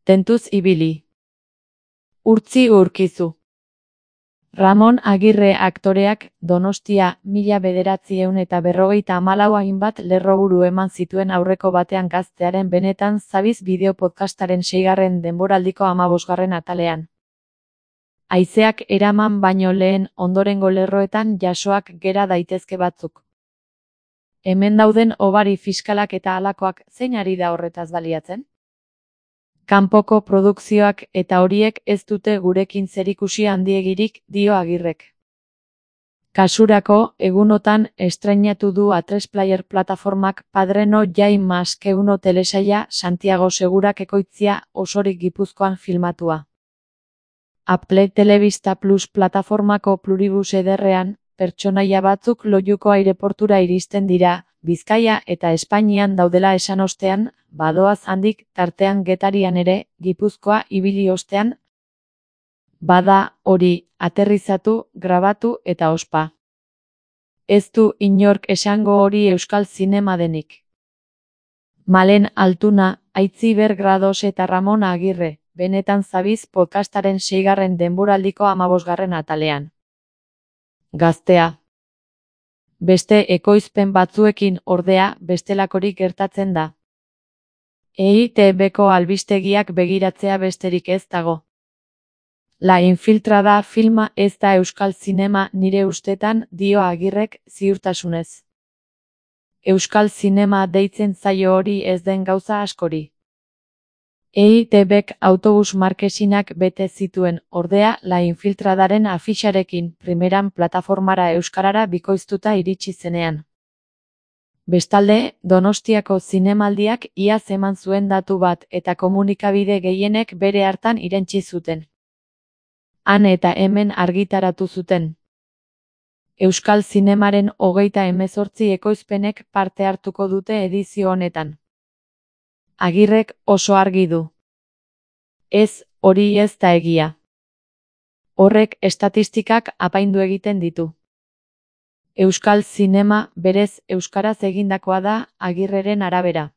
Tentuz ibili. Urtzi urkizu. Ramon Agirre aktoreak Donostia 1954 hainbat lerroburu eman zituen aurreko batean gaztearen benetan zabiz bideo podcastaren 6. denboraldiko 15. atalean. Haizeak eraman baino lehen ondorengo lerroetan jasoak gera daitezke batzuk. Hemen dauden hobari fiskalak eta halakoak zein ari da horretaz baliatzen? Kanpoko produkzioak eta horiek ez dute gurekin zerikusi handiegirik, dio Agirrek. Kasurako, egunotan estreinatu du Atresplayer plataformak Padreno Jai Maskeuno telesaila Santiago Segurak ekoitzia osorik Gipuzkoan filmatua. Apple Telebista Plus plataformako Pluribus ederrean, pertsonaia batzuk Loiuko aireportura iristen dira, Bizkaia eta Espainian daudela esan ostean, badoaz handik tartean Getarian ere, Gipuzkoa ibili ostean, bada hori, aterrizatu, grabatu eta ospa. Ez du inork esango hori euskal zinema denik. Malen Altuna, Aitziber Grados eta Ramon Agirre, benetan zabiz podcastaren 6. denboraldiko 15. atalean. Gaztea. Beste ekoizpen batzuekin ordea bestelakorik gertatzen da. EITBko albistegiak begiratzea besterik ez dago. La Infiltrada filma ez da euskal zinema nire ustetan, dio Agirrek ziurtasunez. Euskal zinema deitzen zaio hori ez den gauza askori. EITBk autobus markesinak bete zituen, ordea La Infiltradaren afixarekin primeran plataformara euskarara bikoiztuta iritsi zenean. Bestalde, Donostiako zinemaldiak iaz eman zuen datu bat eta komunikabide gehienek bere hartan irentsi zuten. Han eta hemen argitaratu zuten. Euskal zinemaren 38 ekoizpenek parte hartuko dute edizio honetan. Agirrek oso argi du. Ez, hori ez da egia. Horrek estatistikak apaindu egiten ditu. Euskal zinema berez euskaraz egindakoa da Agirreren arabera.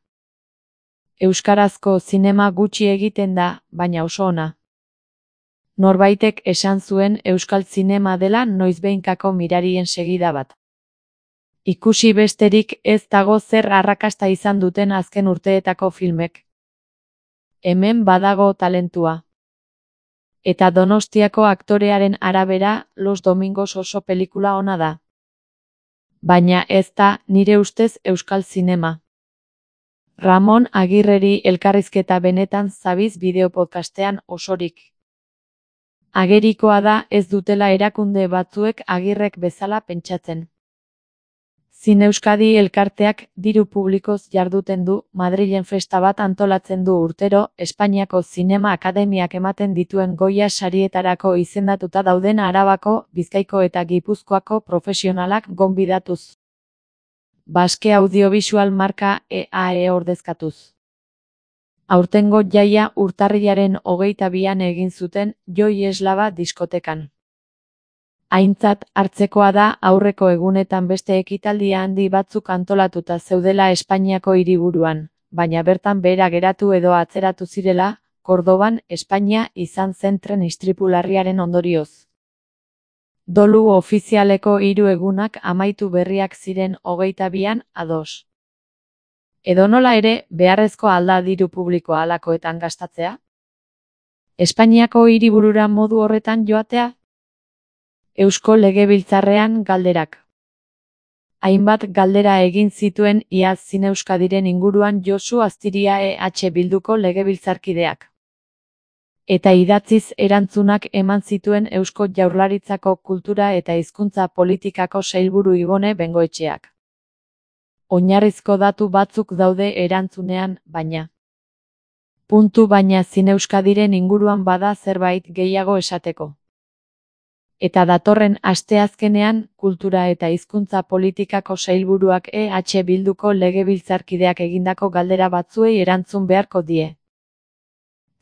Euskarazko zinema gutxi egiten da, baina oso ona. Norbaitek esan zuen euskal zinema dela noizbehinkako mirarien segida bat. Ikusi besterik ez dago zer arrakasta izan duten azken urteetako filmek. Hemen badago talentua. Eta Donostiako aktorearen arabera Los Domingos oso pelikula ona da. Baina ez da, nire ustez euskal zinema. Ramon Agirreri elkarrizketa benetan zabiz bideopodcastean osorik. Agerikoa da ez dutela erakunde batzuek Agirrek bezala pentsatzen. Zineuskadi elkarteak diru publikoz jarduten du, Madrilen festa bat antolatzen du urtero, Espainiako Zinema Akademiak ematen dituen Goya sarietarako izendatuta dauden Arabako, Bizkaiko eta Gipuzkoako profesionalak gonbidatuz. Baske audiobisual marka EAE ordezkatuz. Aurtengo jaia urtarrilaren 22an egin zuten Joi Eslava diskotekan. Aintzat hartzekoa da aurreko egunetan beste ekitaldia handi batzuk antolatuta zeudela Espainiako hiriburuan, baina bertan behera geratu edo atzeratu zirela, Kordoban, Espainia izan zen tren istripu larriaren ondorioz. Dolu ofizialeko 3 egunak amaitu berriak ziren 22an ados. Edonola ere, beharrezko alda diru publikoa halakoetan gastatzea? Espainiako hiriburura modu horretan joatea? Eusko Legebiltzarrean galderak. Hainbat galdera egin zituen iaz Zineuskadiren inguruan Josu Astiria EH Bilduko legebiltzarkideak. Eta idatziz erantzunak eman zituen Eusko Jaurlaritzako Kultura eta Hizkuntza Politikako sailburu Ibone Bengoetxeak. Oinarrizko datu batzuk daude erantzunean, baina. Baina Zineuskadiren inguruan bada zerbait gehiago esateko. Eta datorren asteazkenean, Kultura eta Hizkuntza Politikako sailburuak EH Bilduko legebiltzarkideak egindako galdera batzuei erantzun beharko die.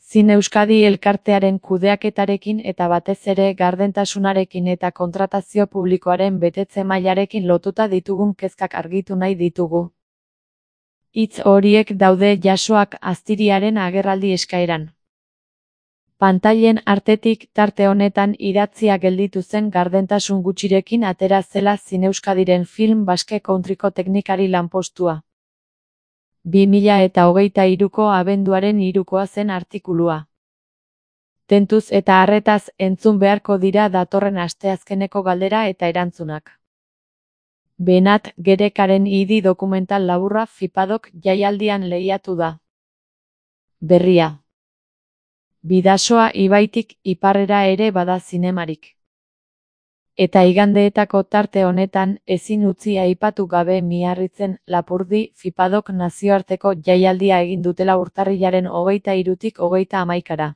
Zineuskadi elkartearen kudeaketarekin eta batez ere gardentasunarekin eta kontratazio publikoaren betetze mailarekin lotuta ditugun kezkak argitu nahi ditugu. Hitz horiek daude jasoak Astiriaren agerraldi eskaeran. Pantailen artetik tarte honetan idatzia gelditu zen gardentasun gutxirekin atera zela Zineuskadiren film Basque Countryko teknikari lanpostua. 2023ko abenduaren 3koa zen artikulua. Tentuz eta arretaz entzun beharko dira datorren asteazkeneko galdera eta erantzunak. Benat Gerekaren idi dokumental laburra Fipadok jaialdian lehiatu da. Berria. Bidasoa ibaitik iparrera ere bada zinemarik. Eta igandeetako tarte honetan ezin utzi aipatu gabe Miarritzen Lapurdi Fipadok nazioarteko jaialdia egin dutela urtarrilaren 23tik 31.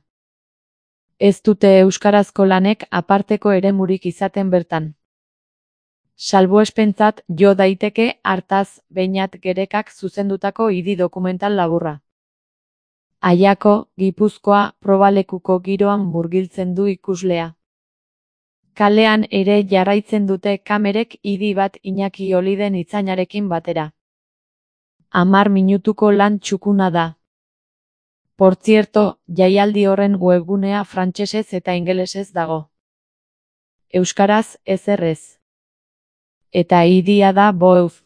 Ez dute euskarazko lanek aparteko eremurik izaten bertan. Salbuespentzat jo daiteke hartaz Benat Gerekak zuzendutako idi dokumental laburra. Aiako, Gipuzkoa, probalekuko giroan murgiltzen du ikuslea. Kalean ere jarraitzen dute kamerek idi bat Iñaki Oliden itzainarekin batera. 10 minutuko lan txukuna da. Portzierto, jaialdi horren webgunea frantsesez eta ingelesez dago. Euskaraz ezer ez. Eta idia da boeuz.